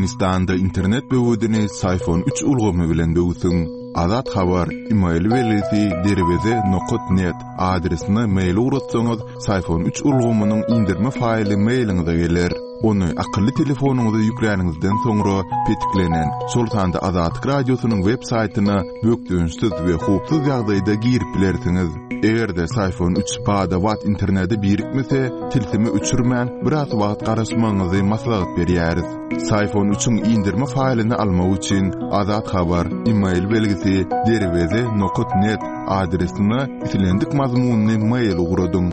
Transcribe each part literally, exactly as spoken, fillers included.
Türkmenistanda internet böwedini Syfon üç ulgamy bilen böwsüň. Azat Habar, e-mail belgisi derweze nokat net adresine mail ugratsaňyz, Syfon üç ulgamynyň indirme faýly mailiňize geler. Ony akylly telefonyňyza ýükläniňizden soňra petiklenen, şol sanda Azatlyk Radiosynyň web saýtyna bökdençsiz we howpsuz ýagdaýda girip bilersiňiz. Eger-de Syfon üç bada-bat internete birikmese, tilsimi öçürmän biraz wagt garaşmagyňyzy maslahat berýäris. Syfon üçiň indirme faýlyny almak üçin Azat Habar, e-mail belgisi derweze nokat net adresine islendik mazmunyny mail ugradyň.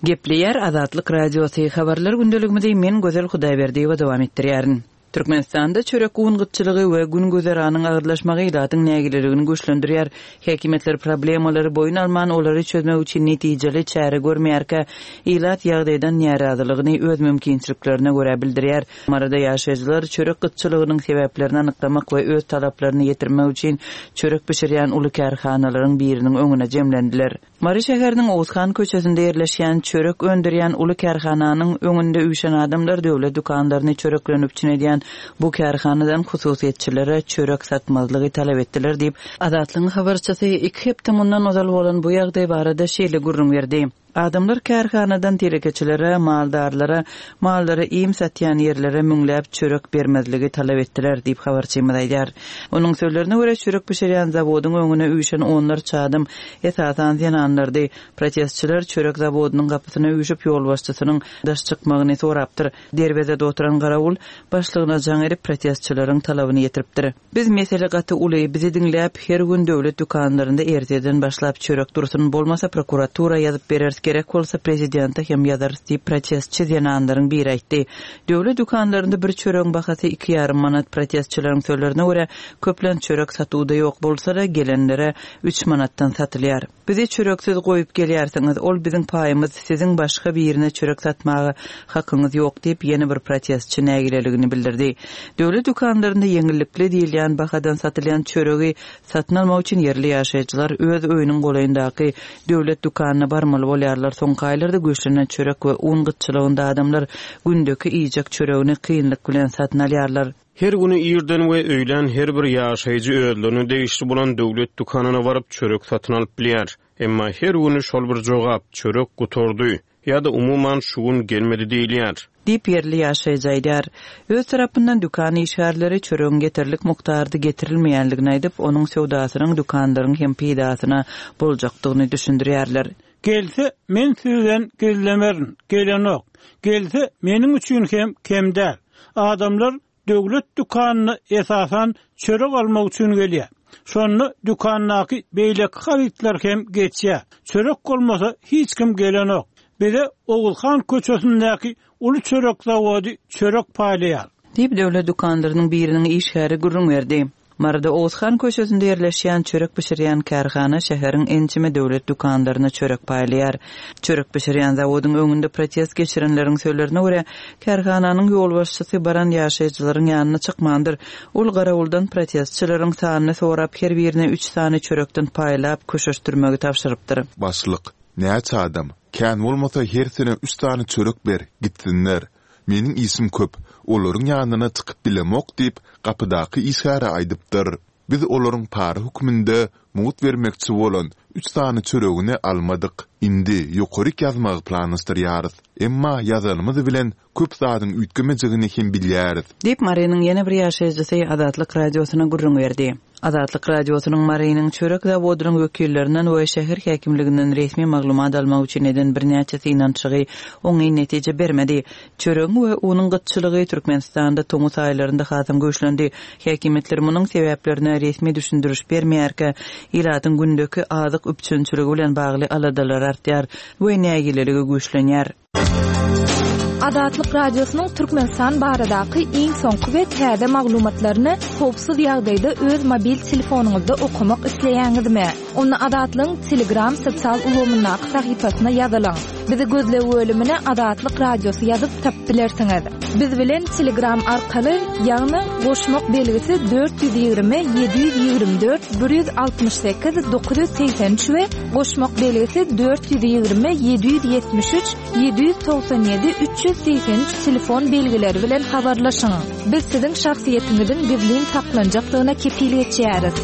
Gepleýär Azatlyk Radiosy habarlar gündeligimizi men Gözel Hudaýberdiýewa dowam etdirýärin. Türkmenistanda çörek un gytçylygy we gün güzeranyň agyrlaşmagy ilatyň nägileligini güýçlendirýär. Häkimiýetler problemalary boýun alman olary çözmek üçin netijeli çäre görmeýärkä, ilat ýagdaýdan närazylygyny öz mümkinçiliklerine görä bildirýär. Maryda ýaşaýjylar çörek gytçylygynyň sebäplerini anyklamak we öz talaplaryny ýetirmek üçin çörek bişirýän uly kärhanalaryň biriniň öňüne jemlendiler. Mary şäheriniň Oğuzhan köçesinde ýerleşýän çörek öndürýän uly kärhananyň öňünde üýşen adamlar döwlet dükanlaryny çörek bilen üpjün edýän bu kärhanadan hususyýetçilere çörek satmazlygy talap etdiler diýip, Azatlygyň habarçysy iki hepde mundan ozal bolan bu ýagdaý barada şeýle gürrüň berdi. Adamlar kärhanadan telekeçilere, maldarlara, mallara iým satýan ýerlere müňläp çörek bermezligi talap etdiler diýip habarçymyz aýdar. Onuň sözlerine görä çörek bişirýän zawodyň öňüne üýşen onlarça adam esasan zenanlardy. Protestçiler çörek zawodynyň gapysyna üýşüp ýolbaşçysynyň daş çykmagyny sorapdyr. Derwezede oturan garawul başlygyna jaň edip protestçileriň talabyny ýetiripdir. Biz mesele gaty uly, bizi diňläp her gün döwlet dükanlarynda erteden başlap çörek dursun, bolmasa prokuratura ýazyp bereris, gerek bolsa prezidente hem ýazarys diýip protestçi zenanlaryň biri aýtdy. Döwlet dükanlarynda bir çöregiň bahasy iki ýarym manat, protestçileriň sözlerine görä köplen çörek satuwda ýok bolsa-da gelenlere üç manatdan satylýar. Bizi çöreksiz goýup gelýärsiňiz, ol biziň paýymyz, siziň başga birine çörek satmaga hakyňyz ýok diýip ýene bir protestçi nägileligini bildirdi. Döwlet dükanlarynda ýeňillikli diýilýän bahadan satylýan çöregi satyn almak üçin ýerli ýaşaýjylar öz öýüniň golaýyndaky döwlet dükanyna barmaly bolýarlar. Soňky aýlarda güýçlenen çörek we un gytçylygynda adamlar gündeki iýjek çöregini kynlyk bilen satyn alýarlar. Her günü irden we öýlän her bir ýaşaýjy özlerine degişli bolan döwlet dükanyna baryp çörek satyn alyp bilýär. Emma her günü şol bir jogap çörek gutardy ýa-da umuman şu gün gelmedi diýilýär. Diýip ýerli ýaşaýjy aýdar. Öz tarapyndan dükan işgärleri çöregiň getirlik mukdarda getirilmeýänligini aýdyp, onuň söwdasynyň dükanlaryň hem peýdasyna boljakdygyny düşündirýärler. Gelse men sizden gizlemerin, gelenok. Gelse meniň üçin hem kem däl. Adamlar döwlet dükanyna esasan çörek almak üçin gelýär. Şonda dükandaky beýleki harytlar hem geçýär. Çörek bolmasa hiç kim gelenok. Bize Oğuzhan köçesindäki uly çörek zawody çörek paýlaýar. Diýip döwlet dükanlarynyň biriniň işgäri gürrüň berdi. Maryda Oğuzhan köçesinde ýerleşýän çörek bişirýän kärhana şäheriň ençeme döwlet dükanlaryna çörek paýlaýar. Çörek bişirýän zawodyň öňünde protest geçirenleriň sözlerine görä, kärhananyň ýolbaşçysy baran ýaşaýjylaryň ýanyna çykmandyr. Ol garawuldan protestçileriň sanyny sorap her birine üç sany çörekden paýlap köşeşdirmegi tabşyrypdyr. Başlyk, näçe adam? Kän bolmasa her sene üç sany çörek ber, gitsinler. Meniň işim köp, olaryň ýanyna çykyp bilemok diýip, gapydaky işgäre aýdypdyr. Biz olaryň para hökmünde mugt bermekçi bolan üç sany çöregini almadyk. Indi ýokaryk ýazmagy planlaşdyrýarys. Emma ýazanymyz bilen köp zadyň üýtgemejegini hem bilýäris. Diýip Marynyň ýene bir ýaşaýjysy Azatlyk Radiosyna gürrüň berdi. Azatlyk Radiosynyň Marynyň çörek zawodynyň wekillerinden we şäher häkimliginden resmi maglumat almak üçin eden birnäçe synanyşygy oňyn netije bermedi. Çöregiň we unuň gytçylygy Türkmenistanda tomus aýlarynda hasam güýçlendi. Häkimiýetler munuň sebäplerine resmi düşündiriş bermeýärkä, ilatyň gündeki azyk üpjünçiligi bilen bagly aladalar artýar we nägileligi güýçlenýär. Azatlyk Radiosynyň Türkmenistan baradaky iň soňky we täze maglumatlaryny howpsuz ýagdaýda öz mobil telefonyňyzda okamak isleýäňizmi? Onda Azatlygyň Telegram sosial ulgamyndaky sahypasyna ýazylyň. Bizi gözleg bölümine Azatlyk Radiosy ýazyp tapyp bilersiňiz. Biz bilen Telegram arkaly, ýagny goşmak belgisi dört ýüz ýigrimi ýedi ýüz ýigrimi dört bir ýüz altmyş sekiz dokuz ýüz segsen üç we goşmak belgisi dört ýüz ýigrimi ýedi ýüz ýetmiş üç ýedi ýüz togsan ýedi üç ýüz segsen üç telefon belgileri bilen habarlaşyň. Biz siziň şahsyýetiňiziň gizlin saklanjakdygyna kepil geçýäris.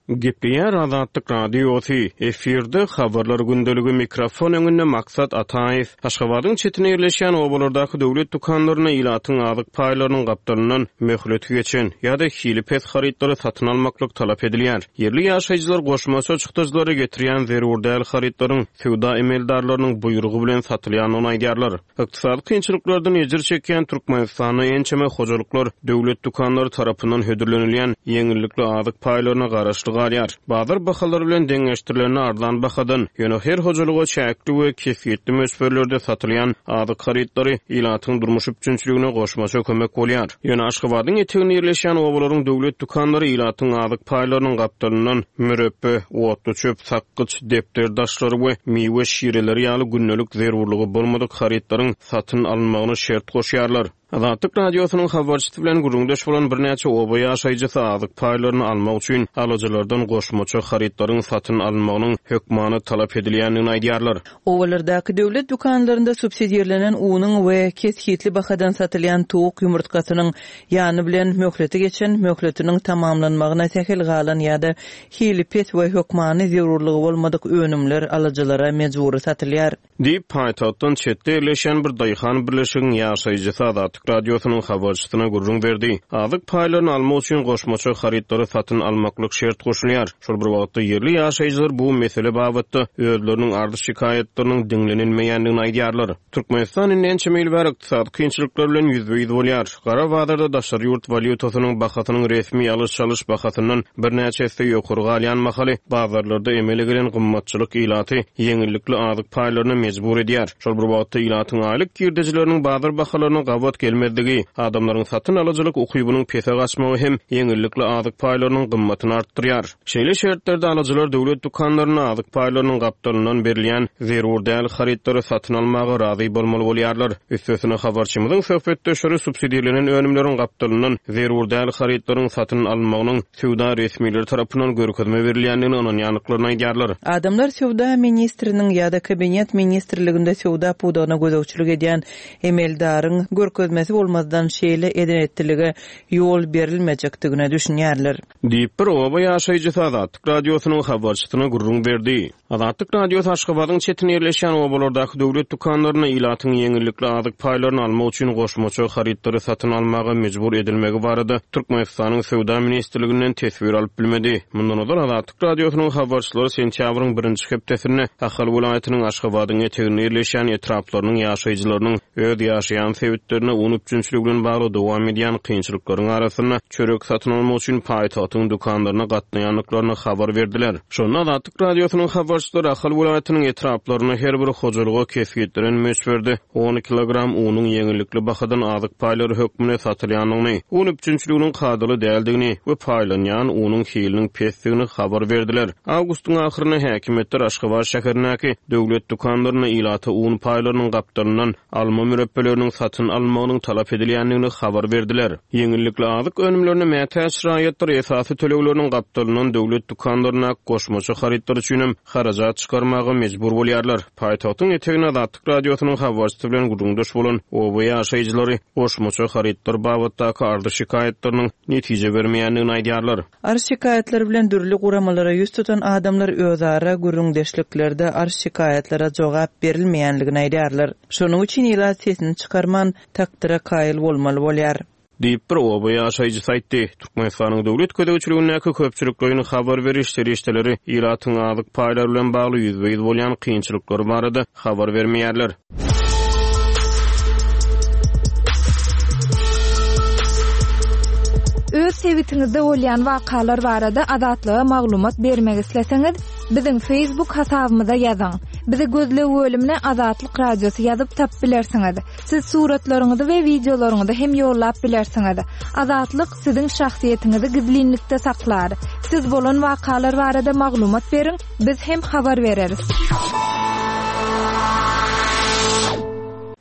Gepleýär Azatlyk Radiosy, efirde habarlar gündeligi, mikrofon öňünde Maksat Ataýew. Aşgabadyň çetine ýerleşýän obalardaky döwlet dükanlaryna ilatyň azyk paýlarynyň gapdalyndan möhleti geçen ýa-da hili pes harytlary satyn almaklyk talap edilýär. Ýerli ýaşaýjylar goşmaça çykdajylary getirýän zerur däl harytlaryň söwda emeldarlarynyň buýrugy bilen satylýandygyny aýdýarlar. Ykdysady kynçylyklardan ejir çekýän Türkmenistanda ençeme hojalyklar döwlet dükanlary tarapyndan hödürlenilýän ýeňillikli azyk paýlaryna garaşly galýar. Bazar bahalary bilen deňeşdirilende arzan bahadan, ýöne her hojalyga çäkli we kesgitli möçberlerde satylýan azyk harytlary ilatyň durmuş üpjünçiligine goşmaça kömek bolýar. Ýöne Aşgabadyň eteginde ýerleşýän obalaryň döwlet dükanlary ilatyň azyk paýlarynyň gapdalyndan mürepbe, otly çöp, sakgyç, depder daşlary we miwe şireleri ýaly gündelik zerurlygy bolmadyk harytlaryň satyn alynmagyna şert goşýarlar. Azatlyk Radiosynyň habarçysy bilen gürrüňdeş bolan birnäçe oba ýaşaýjysy azyk paýlaryny almak üçin alyjylardan goşmaça harytlaryň satyn alynmagynyň hökmany talap edilýändigini aýdýarlar. Obalardaky döwlet dükanlarynda subsidirlenen unuň we kesgitli bahadan satylýan towuk ýumurtgasynyň ýany bilen möhleti geçen, möhletiniň tamamlanmagyna sähel galan ýa-da hili pes we hökmany zerurlygy bolmadyk önümler alyjylara mejbury satylýar. Diýip, paýtagtdan çetde ýerleşen bir daýhan birleşigiň ýaşaýjysy Azatlyk Radiosynyň habarçysyna gürrüň berdi. Azyk paýlaryny almak üçin goşmaça harytlary satyn almaklyk şert goşulýar. Şol bir wagtda ýerli ýaşaýjylar bu mesele babatda özleriniň arz şikaýatlarynyň diňlenilmeýändigini aýdýarlar. Türkmenistan indi ençeme ýyl bäri ykdysady kynçylyklar bilen ýüzbe-ýüz bolýar. Gara bazarda daşary ýurt walýutasynyň bahasynyň resmi alyş-çalyş bahasyndan birnäçe esse ýokary galýan mahaly bazarlarda emele gelen gymmatçylyk ilaty ýeňillikli azyk paýlaryna mejbur edýär. Şol bir wagtda ilatyň aýlyk girdejileriniň bazar bahalaryna gabat gelmezligi, adamlaryň satyn alyjylyk ukybynyň pese gaçmagy hem ýeňillikli azyk paýlarynyň gymmatyny artdyrýar. Şeýle şertlerde alyjylar döwlet dükanlaryna azyk paýlarynyň gapdalyndan berilýän zerur däl harytlary satyn almaga razy bolmaly bolýarlar. Üstesine habarçymyzyň söhbetdeşleri subsidirlenen önümleriň gapdalyndan zerur däl harytlaryň satyn alynmagynyň söwda resmileri tarapyndan görkezme berilýändigini ynanýandyklaryny aýdýarlar. Adamlar söwda ministriniň ýa-da kabinet ministrliginde söwda pudagyna gözegçilik edýän emeldaryň görkezmesi bolmazdan şeýle eden-etdilige ýol berilmejekdigine düşünýärler. Diýip bir oba ýaşaýjysy Azatlyk Radiosynyň habarçysyna gürrüň berdi. Azatlyk Radiosy Aşgabadyň çetine ýerleşýän obalardaky döwlet dükanlaryna ilatyň ýeňillikli azyk paýlaryny almak üçin goşmaça harytlary satyn almaga mejbur edilmegi barada Türkmenistanyň Söwda ministrliginden teswir alyp bilmedi. Mundan ozal Azatlyk Radiosynyň habarçylary sentýabryň birinji hepdesinde Ahal welaýatynyň Aşgabadyň eteginde ýerleşýän etraplarynyň ýaşaýjylarynyň öz ýaşaýan sebitlerine un üpjünçiligi bilen bagly dowam edýän kynçylyklaryň arasynda çörek satyn almak üçin paýtagtyň dükanlaryna gatnaýandyklaryny habar berdiler. Şonda Azatlyk Radiosynyň habarçylary Ahal welaýatynyň etraplaryna her bir hojalyga kesgitlenen möçberde on kilogram unuň ýeňillikli bahadan azyk paýlary hökmünde satylýandygyny, un üpjünçiliginiň kadaly däldigini we paýlanýan unuň hiliniň pesdigini habar berdiler. Awgustyň ahyrynda häkimiýetler Aşgabat şäherindäki döwlet dükanlaryna ilata un paýlarynyň gapdalyndan alma mürepbeleriniň satyn alynmagynyň talap edilýändigini habar berdiler. Ýeňillikli azyk önümlerine mätäç raýatlar esasy tölegleriniň gapdalyndan döwlet dükanlaryna goşmaça harytlar üçin hem harajat çykarmaga mejbur bolýarlar. Paýtagtyň etegine Azatlyk Radiosynyň habarçysy bilen gürrüňdeş bolan oba ýaşaýjylary goşmaça harytlar babatdaky arz şikaýatlarynyň netije bermeýändigini aýdýarlar. Arz şikaýatlar bilen dürli guramalara ýüz tutan adamlar özara gürrüňdeşliklerde arz şikaýatlara jogap berilmeýändigini aýdýarlar. Şonuň üçin ilat sesini çykarman takdyra kaýyl bolmaly bolýar. Diýip bir oba ýaşaýjysy aýtdy. Türkmenistanyň döwlet gözegçiligindäki köpçülikleýin habar beriş serişdeleri ilatyň azyk paýlary bilen bagly ýüzbe-ýüz bolýan kynçylyklary barada habar bermeýärler. Öz sebitiňizde bolýan wakalar barada Azatlyga maglumat bermek isleseňiz, biziň Facebook hasabymyza ýazyň. Bizi gözleg bölümine Azatlyk Radiosy ýazyp tapyp bilersiňiz. Siz suratlaryňyzy we wideolaryňyzy hem ýollap bilersiňiz. Azatlyk siziň şahsyýetiňizi gizlinlikde saklar. Siz bolan wakalar barada maglumat beriň, biz hem habar bereris.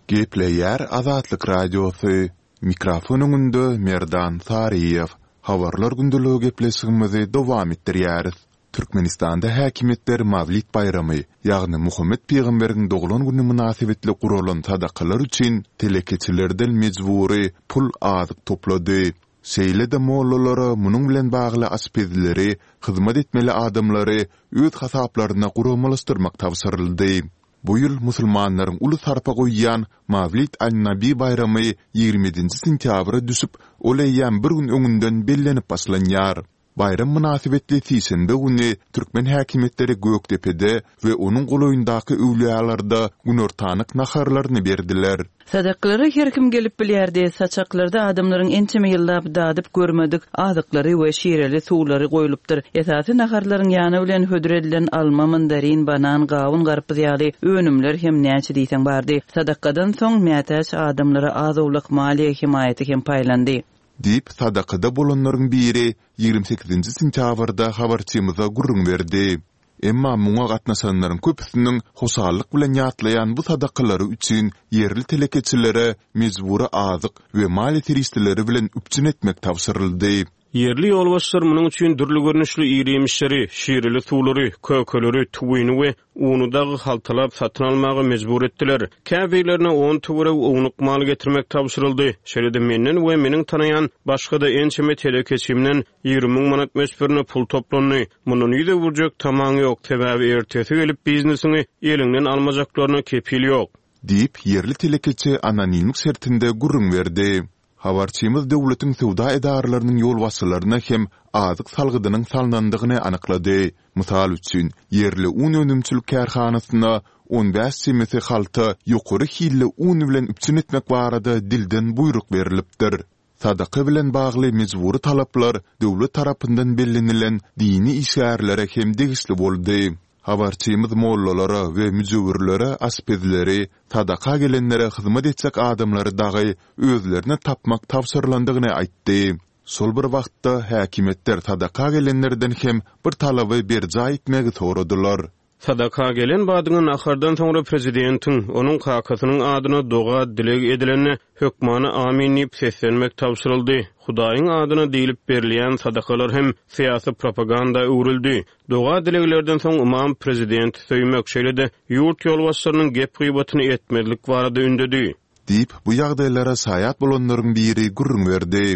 Gepleýär Azatlyk Radiosy, Mikrofon öňünde Merdan Saryýew. Habarlar gündeligi gepleşigimizi dowam etdirýäris. Türkmenistanda häkimiýetler Mawlid baýramy, ýagny Muhammet pygamberiň doglan güni mynasybetli guralan sadakalar üçin telekeçilerden mejbury pul azyk toplady. Şeýle-de mollalara munuň bilen bagly aşpezleri, hyzmat etmeli adamlary öz hasaplaryna guramalaşdyrmak tabşyryldy. Bu ýyl musulmanlaryň uly sarpa goýýan Mawlid an-Nabi baýramy ýigrimi ýedinji sentýabra düşüp, ol eýýäm bir gün öňünden bellenip başlanýar. Baýram mynasybetli sişenbe güni türkmen häkimiýetleri Gökdepede we onuň golaýyndaky öwlüýalarda günortanlyk naharlaryny berdiler. Sadakalara her kim gelip bilýärdi. Saçaklarda adamlaryň ençeme ýyllap dadyp görmedik azyklary we şireli suwlary goýlupdyr. Esasy naharlaryň ýany bilen hödür edilen alma, mandarin, banan, gawun, garpyz ýaly önümler hem näçe diýseň bardy. Sadakadan soň mätäç adamlara az-owlak maliýe hemaýaty hem paýlandy. Diýip, sadakada bolanlaryň biri ýigrimi sekizinji sentýabrda habarçymyza gürrüň berdi. Emma muňa gatnaşanlaryň köpüsiniň hoşallyk bilen ýatlaýan bu sadakalary üçin ýerli telekeçilere mejbury azyk we maliýe serişdeleri bilen üpjün etmek tabşyryldy. Ýerli ýolbaşçylar munuň üçin dürli görnüşli iri-iýmişleri, şireli suwlary, kökeleri, tüwini we uny dagy haltalap satyn almaga mejbur etdiler. Käbirlerine on töweregi ownuk mal getirmek tabşyryldy. Şeýle-de menden we meniň tanaýan başga-da ençeme telekeçimden ýigrimi müň manat möçberinde pul toplandy. Mundan ýüz öwürjek tamaň ýok, sebäbi ertesi gelip biznesiňi eliňden almajaklaryna kepil ýok. Diýip, ýerli telekeçi anonimlik şertinde gürrüň berdi. Habarçymyz döwletiň söwda edaralarynyň ýolbaşçylaryna hem azyk salgydynyň salnandygyny anyklady. Mysal üçin, ýerli un önümçilik kärhanasyna on bäş çemesi halta ýokary hilli un bilen üpjün etmek barada dilden buýruk berlipdir. Sadaka bilen bagly mejbury talaplar döwlet tarapyndan bellenilen dini işgärlere hem degişli boldy. Habarçymyz mollalara we müjewürlere aşpezleri, sadaka gelenlere hyzmat etjek adamlary dagy özlerine tapmak tabşyrylandygyny aýtdy. Şol bir wagtda häkimiýetler sadaka gelenlerden hem bir talaby berjaý etmegi soradylar. Sadaka gelen badyňa nahardan soňra prezidentiň, onuň kakasynyň adyna doga dileg edilende hökmany amin diýip seslenmek tabşyryldy. Hudaýyň adyna diýlip berilýän sadakalar hem syýasy propaganda öwrüldi. Doga dileglerden soň ymam prezidenti söýmek, şeýle-de ýurt ýolbaşçylarynyň gep-gybatyny etmezlik barada ündedi. Diýip, bu ýagdaýlara şaýat bolanlaryň biri gürrüň berdi.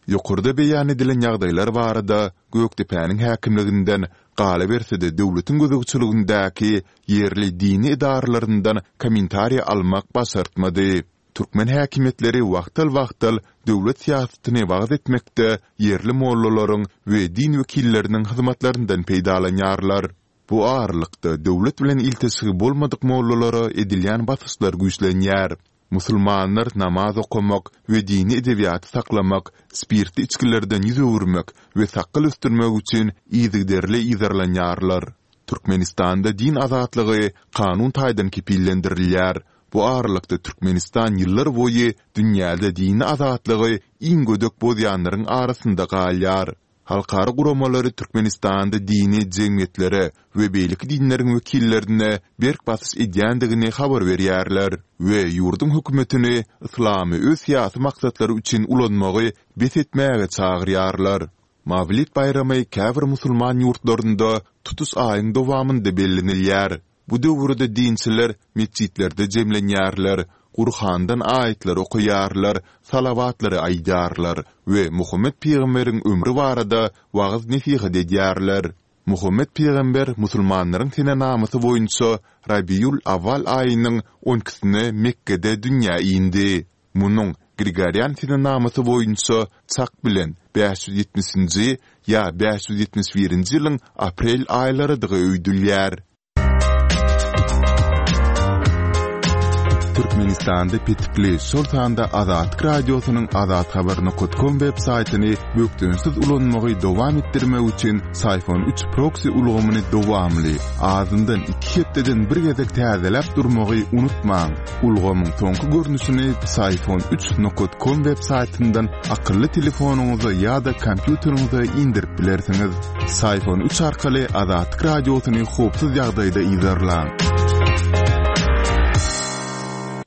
Ýokarda beýan edilen ýagdaýlar barada Gökdepäniň häkimliginden, galyberse-de döwletiň gözegçiligindäki ýerli dini edaralaryndan kommentariý almak başartmady. Türkmen häkimiýetleri wagtal-wagtal döwlet syýasatyny wagyz etmekde ýerli mollalaryň we din wekilleriniň hyzmatlaryndan peýdalanýarlar. Bu aralykda döwlet bilen ilteşigi bolmadyk mollalara edilýän basyşlar güýçlenýär. Musulmanlar namaz okamak we dini edebiýaty saklamak, spirtli içgilerden ýüz öwürmek we sakgal ösdürmek üçin yzygiderli yzarlanýarlar. Türkmenistanda din azatlygy kanun taýdan kepillendirilýär. Bu aralykda Türkmenistan ýyllar boýy dünýäde dini azatlygy iň gödek bozýanlaryň arasynda galýar. Halkara guramalary Türkmenistanda dini jemgyýetlere we beýleki dinleriň wekillerine berk basyş edýändigini habar berýärler we ýurduň hökümetini yslamy öz syýasy maksatlary üçin ulanmagy bes etmäge çagyrýarlar. Mawlid baýramy käbir musulman ýurtlarynda tutuş aýyň dowamynda bellenilýär. Bu döwürde dinçiler metjitlerde jemlenýärler, Gurhandan aýatlar okaýarlar, salawatlary aýdýarlar we Muhammet pygamberiň ömri barada wagyz-nesihat edýärler. Muhammet pygamber musulmanlaryň senenamasy boýunça Rabiul-Awwal aýynyň on ikisine Mekgede dünýä indi. Munuň Grigorian senenamasy boýunça çak bilen bäş ýüz ýetmişinji ýa bäş ýüz ýetmiş birinji ýylyň aprel aýlarydygy öýdülýär. Türkmenistanda petikli, şol sanda Azatlyk Radiosynyň azathabar nokat kom web saýtyny bökdençsiz ulanmagy dowam etdirmek üçin Syfon üç proksi ulgamyny dowamly, azyndan iki hepdeden bir gezek täzeläp durmagy unutmaň. Ulgamyň soňky görnüşini Syfon üç nokat kom web saýtyndan akylly telefonyňyza ýa-da kompýuteriňize indirip bilersiňiz. Syfon üç arkaly Azatlyk Radiosyny howpsuz ýagdaýda yzarlaň.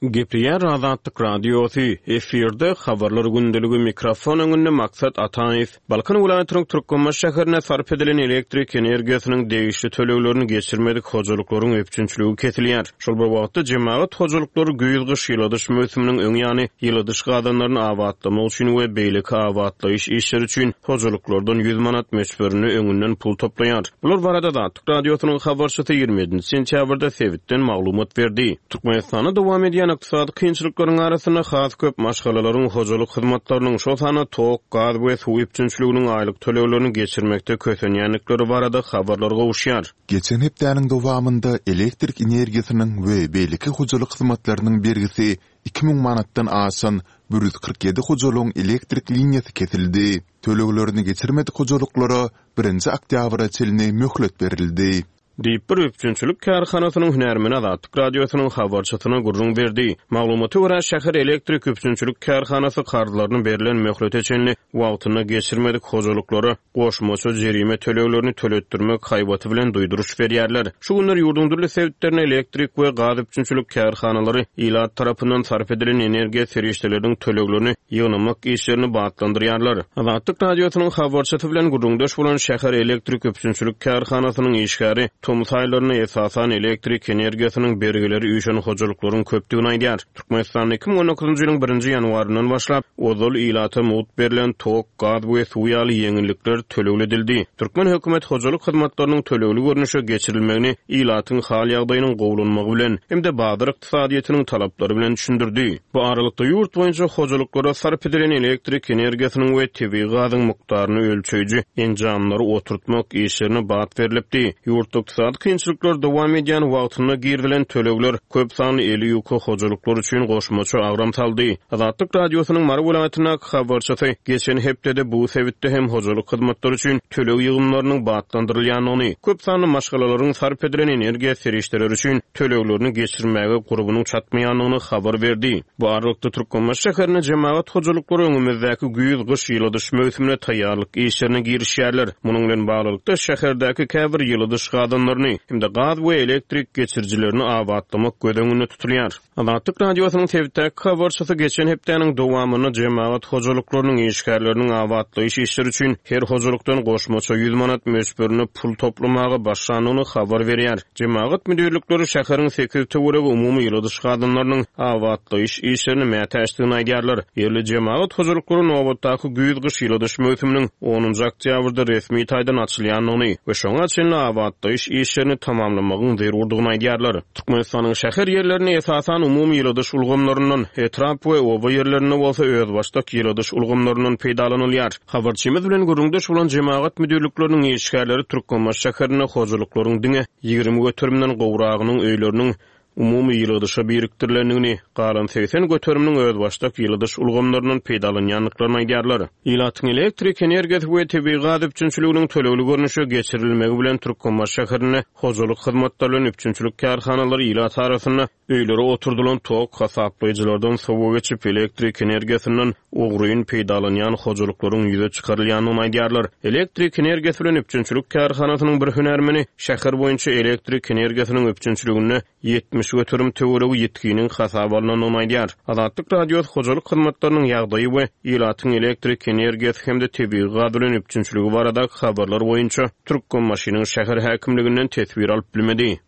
Gepleýär Azatlyk Radiosy, efirde Habarlar gündeligi, mikrofon öňünde Maksat Ataýew. Balkan welaýatynyň Türkmenbaşy şäherinde sarp edilen elektrik energiýasynyň degişli töleglerini geçirmedik hojalyklaryň üpjünçiligi kesilýär. Şol bir wagtda jemagat hojalyklary güýz-gyş ýyladyş möwsüminiň öň ýany ýyladyş gazanlaryny abatlamak üçin we beýleki abatlaýyş işleri üçin hojalyklardan ýüz manat möçberinde öňünden pul toplaýar. Bular barada Azatlyk Radiosynyň habarçysy ýigrimi ýedinji sentýabrda sebitden maglumat berdi. Türkmenistanda dowam edýän ykdysady kynçylyklaryň arasynda has köp maşgalalaryň hojalyk hyzmatlarynyň, şol sanda tok, gaz we suw üpjünçiliginiň aýlyk töleglerini geçirmekde kösenýändikleri barada habarlar gowuşýar. Geçen hepdäniň dowamynda elektrik energiýasynyň we beýleki hojalyk hyzmatlarynyň bergisi iki müň manatdan aşan bir ýüz kyrk ýedi hojalygyň elektrik liniýasy kesildi. Töleglerini geçirmedik hojalyklara birinji oktýabra çenli möhlet berildi. Diýip, bir üpjünçilik kärhanasynyň hünärmeni Azatlyk Radiosynyň habarçysyna gürrüň berdi. Maglumata görä, şäher elektrik üpjünçilik kärhanasy karzlaryny berlen möhlete çenli wagtynda geçirmedik hojalyklara goşmaça jerime töleglerini töletdirmek haýbaty bilen duýduryş berýärler. Şu günler ýurduň dürli sebitlerinde elektrik we gaz üpjünçilik kärhanalary ilat tarapyndan sarp edilen energiýa serişdeleriniň töleglerini ýygnamak işlerini batlandyrýarlar. Azatlyk Radiosynyň habarçysy bilen gürrüňdeş bolan şäher elektrik üpjünçilik kärhanasynyň işgäri tomus aýlarynda esasan elektrik energiýasynyň bergileri üýşen hojalyklaryň köpdügini aýdýar. Türkmenistanda iki müň on dokuzynjy ýylyň birinji ýanwaryndan başlap ozal ilata mugt berlen tok, gaz we suw ýaly ýeňillikler tölegli edildi. Türkmen hökümet hojalyk hyzmatlarynyň tölegli görnüşe geçirilmegini ilatyň hal ýagdaýynyň gowulanmagy bilen hem-de bazar ykdysadyýetiniň talaplary bilen düşündirdi. Bu aralykda ýurt boýunça hojalyklara sarp edilen elektrik energiýasynyň we tebigy gazyň mukdaryny ölçeýji enjamlary oturtmak işlerine bat berilipdi. Ýurtda ykdysady kynçylyklar dowam edýän wagtynda girizilen tölegler köp sanly eli ýuka hojalyklar üçin goşmaça agram saldy. Azatlyk Radiosynyň Mary welaýatyndaky habarçysy geçen hepdede bu sebitde hem hojalyk hyzmatlary üçin töleg ýygymlarynyň batlandyrylýandygyny, köp sanly maşgalalaryň sarp edilen energiýa serişdeleri üçin töleglerini geçirmäge gurbunyň çatmaýandygyny habar berdi. Bu aralykda Türkmenbaşy şäherinde jemagat hojalyklary öňümizdäki güýz-gyş ýyladyş möwsümine taýýarlyk işlerine girişýärler. Munuň bilen baglylykda şäherdäki käbir ýyladyş gazanlaryny hem-de gaz we elektrik geçirijilerini abatlamak göz öňünde tutulýar. Azatlyk Radiosynyň sebitdäki habarçysy geçen hepdäniň dowamynda jemagat hojalyklarynyň işgärleriniň abatlaýyş işleri üçin her hojalykdan goşmaça ýüz manat möçberinde pul toplamaga başlandygyny habar berýär. Jemagat müdirlikleri şäheriň sekiz töweregi umumy ýyladyş gazanlarynyň abatlaýyş işlerini mätäçdigini aýdýarlar. Ýerli jemagat hojalyklary nobatdaky güýz-gyş ýyladyş möwsüminiň onunjy oktýabrda resmi taýdan açylýandygyny we şoňa çenli abatlaýyş işlerini tamamlamagyň zerurdygyny aýdýarlar. Türkmenistanyň şäher ýerlerinde esasan umumy ýyladyş ulgamlaryndan, etrap we oba ýerlerinde bolsa özbaşdak ýyladyş ulgamlaryndan peýdalanylýar. Habarçymyz bilen gürrüňdeş bolan jemagat müdirlikleriniň işgärleri Türkmenbaşy şäherinde hojalyklaryň diňe ýigrimi göterimden gowragynyň öýleriniň umumy ýyladyşa birikdirilendigini, galan segsen göteriminiň özbaşdak ýyladyş ulgamlaryndan peýdalanýandyklaryny aýdýarlar. Ilatyň elektrik energiýasy we tebigy gaz üpjünçiliginiň tölegli görnüşe geçirilmegi bilen Türkmenbaşy şäherinde hojalyk hyzmatlary bilen üpjünçilik kärhanalary ilat arasynda öýlere oturdylan tok hasaplaýjylardan sowa geçip elektrik energiýasyndan ogryn peýdalanýan hojalyklaryň ýüze çykarylýandygyny aýdýarlar. Elektrik energiýasy bilen üpjünçilik kärhanasynyň bir hünärmeni şäher boýunça elektrik energiýasynyň üpjünçiliginde ýetmiş göterim töweregi ýetginiň hasaba alynandygyny aýdýar. Azatlyk Radiosy hojalyk hyzmatlarynyň ýagdaýy we ilatyň elektrik energiýasy hem-de tebigy gaz bilen üpjünçiligi baradaky habarlar boýunça Türkmenbaşynyň şäher häkimliginden teswir alyp bilmedi.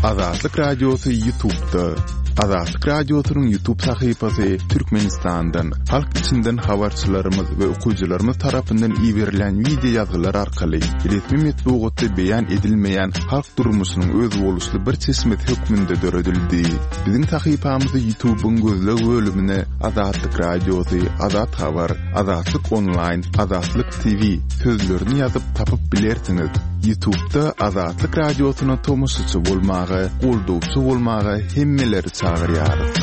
Azatlyk Radiosy YouTube'da. Azatlyk Radiosynyň YouTube sahypasy Türkmenistandan, halk içinden habarçylarymyz we okyjylarymyz tarapyndan iberilen video ýazgylar arkaly resmi metbugatda beýan edilmeýän halk durmuşynyň özboluşly bir çeşmesi hökmünde döredildi. Biziň sahypamyzy YouTube'yň gözleg bölümine Azatlyk Radiosy, Azat Habar, Azatlyk Online, Azatlyk T V sözlerini ýazyp tapyp bilersiňiz. YouTube'da Azatlyk Radiosyna tomaşaçy bolmaga, goldawçy bolmaga hemmeleri çagyrýarys.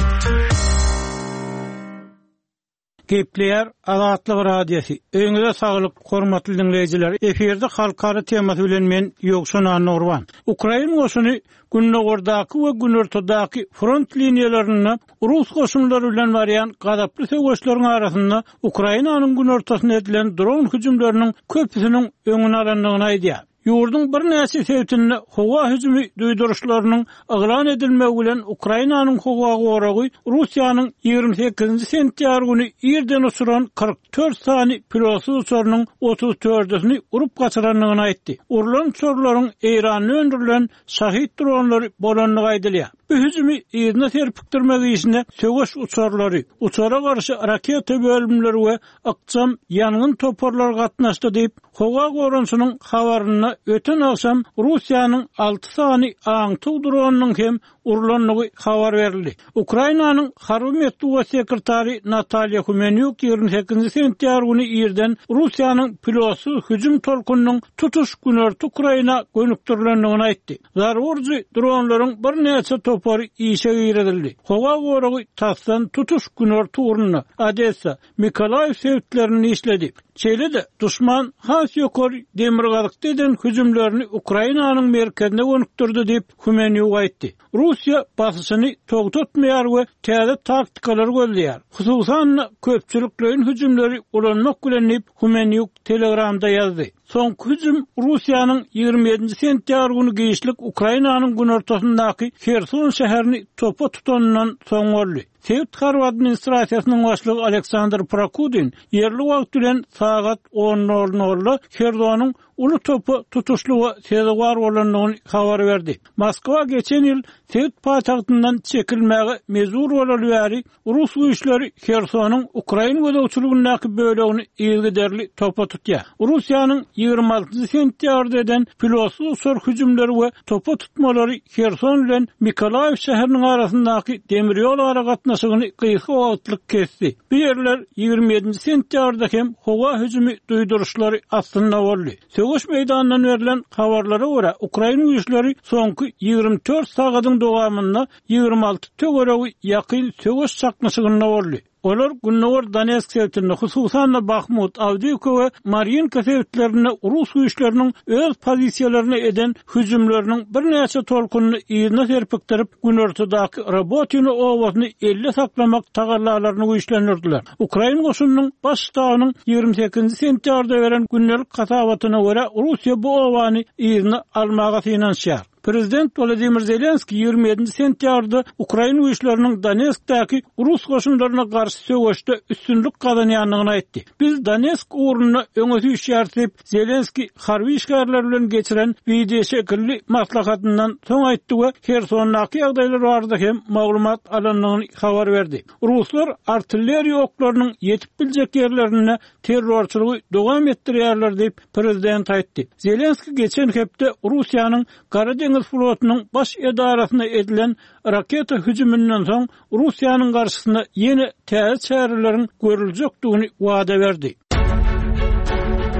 Gepleýär Azatlyk Radiosy. Öýüňize saglyk, hormatly dinleýjiler. Efirde halkara temasy bilen men Ýowşan Annurban. Ukrain goşuny Gündogardaky we Günortadaky front liniýalarynda Rus goşunlary bilen barýan gazaply söweşleriň arasynda Ukrainanyň günortasyna edilen dron hüjümleriniň köpüsiniň öňüni alandygyny aýdýar. Ýurduň birnäçe sebitinde howa hüjümi duýduryşlarynyň yglan edilmegi bilen Ukrainanyň howa goragy Russiýanyň ýigrimi sekizinji sentýabr güni irden uçuran kyrk dört sany pilotsyz uçarynyň otuz dördüsini urup gaçyrandygyny aýtdy. Urlan uçarlaryň Eýranda öndürilen Şahid dronlary bolandygy aýdylýar. Bu hüjümi yzyna serpikdirmek işine söweş uçarlary, uçara garşy raketa bölümleri we ykjam ýangyn toparlary gatnaşdy diýip, howa goranyşynyň habarynda öten agşam Russiýanyň alty sany aňtaw dronynyň hem urlandygy habar berildi. Ukrainanyň harby metbugat sekretary Natalýa Humenýuk ýigrimi sekizinji sentýabr güni irden Russiýanyň pilotsyz hüjüm tolkunynyň tutuş günorta Ukraina gönükdirilendigini aýtdy. Zarba urujy dronlaryň birnäçe topary işe girizildi. Howa goragy tasdan tutuş günorta ugrunda, Odessa, Mykolaýiw sebitlerinde işledi. Şeýle-de, duşman has ýokary demirgazykda eden hüjümlerini Ukrainanyň merkezine gönükdirdi diýip, Humenýuk aýtdy. Russiýa basyşyny togtatmaýar we täze taktikalary gözleýär. Hususan-da, köpçülikleýin hüjümleri ulanmak bilen diýip, Humenýuk Telegramda ýazdy. Soňky hüjüm Russiýanyň ýigrimi ýedinji sentýabr güni giçlik Ukrainanyň günortasyndaky Herson şäherini topa tutanyndan soň boldy. Sebit harby administrasiýasynyň başlygy Aleksandr Prokudin ýerli wagt bilen sagat on nol nolda Hersonyň uly topa tutuşlyga sezewar bolandygyny habar berdi. Moskwa geçen ýyl sebit paýtagtyndan çekilmäge mejbur bolaly bäri rus güýçleri Hersonyň ukrain gözegçiligindäki bölegini yzygiderli topa tutýar. Russiýanyň ýigrimi altynjy sentýabrda eden pilotsyz uçar hüjümleri we topa tutmalary Herson bilen Mykolaýiw şäheriniň arasyndaky demir ýol aragatnaşygyny gysga wagtlyk kesdi. Bu ýerler ýigrimi ýedinji sentýabrda hem howa hüjümi duýduryşlary astynda boldy. Söweş meýdanyndan berlen habarlara görä, ukrain güýçleri soňky ýigrimi dört sagadyň dowamynda ýigrimi alty töweregi ýakyn söweş çaknyşygynda boldy. Olar Gündogar Donetsk sebitinde, hususan-da Bahmut, Awdiýewka we Marýinka sebitlerinde rus güýçleriniň öz pozisiýalaryna eden hüjümleriniň birnäçe tolkunyny yzyna serpikdirip, günortadaky Robotino obasyny elde saklamak tagallalaryny güýçlendirdiler. Ukrain goşunynyň baş ştabynyň ýigrimi sekizinji sentýabrda beren gündelik hasabatyna görä, Russiýa bu obany yzyna almaga synanyşýar. Prezident Wladimir Zelenskiý ýigrimi ýedinji sentýabrda ukrain güýçleriniň Donetskdäki rus goşunlaryna garşy söweşde üstünlik gazanýandygyny aýtdy. Biz Donetsk ugrunda öňe süýşýäris diýip, Zelenskiý harby işgärler bilen geçiren wideoşekilli maslahatyndan soň aýtdy we Hersondaky ýagdaýlar barada hem maglumat alandygyny habar berdi. Ruslar artilleriýa oklarynyň ýetip biljek ýerlerinde terrorçylygy dowam etdirýärler diýip, prezident aýtdy. Zelenskiý geçen hepde Russiýanyň Gara deňiz flotunyň baş edarasyna edilen raketa hüjüminden soň Russiýanyň garşysyna ýene täze çäreleriň görüljekdigini wada berdi.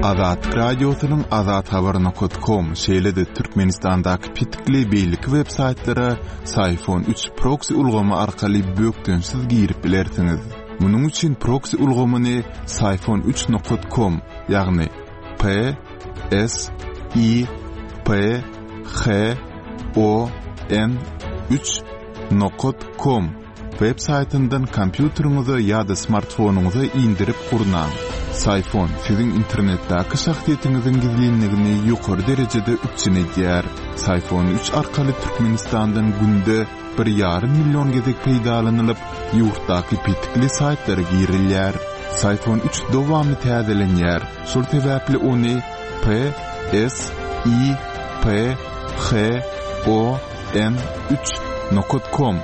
Azatlyk Radiosynyň azathabar nokat kom, şeýle-de Türkmenistandaky petikli beýleki web saýtlara Syfon üç proksi ulgamy arkaly bökdençsiz girip bilersiňiz. Munuň üçin proksi ulgamyny Syfon üç nokat kom, ýagny P S I P H O N üç nokat kom web saýtyndan kompýuteriňize ýa-da smartfonyňyza indirip gurnaň. Syfon siziň internetdäki şahsyýetiňiziň gizlinligini ýokary derejede üpjün edýär. Syfon üç arkaly Türkmenistandan günde bir ýarym million gezek peýdalanylyp, ýurtdaky petikli saýtlara girilýär. Syfon üç dowamly täzelenýär. Şol sebäpli ony P S I P H O N üç nokat kom,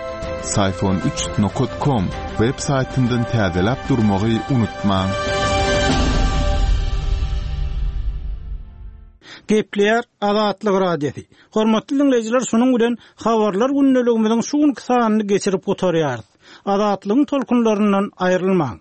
Syfon üç nokat kom web saýtyndan täzeläp durmagy unutmaň. Gepleýär Azatlyk Radiosy. Hormatly dinleýjiler, şunuň bilen habarlar gündeligimiziň şu günki sanyny geçirip gutarýarys. Azatlygyň tolkunlaryndan aýrylmaň.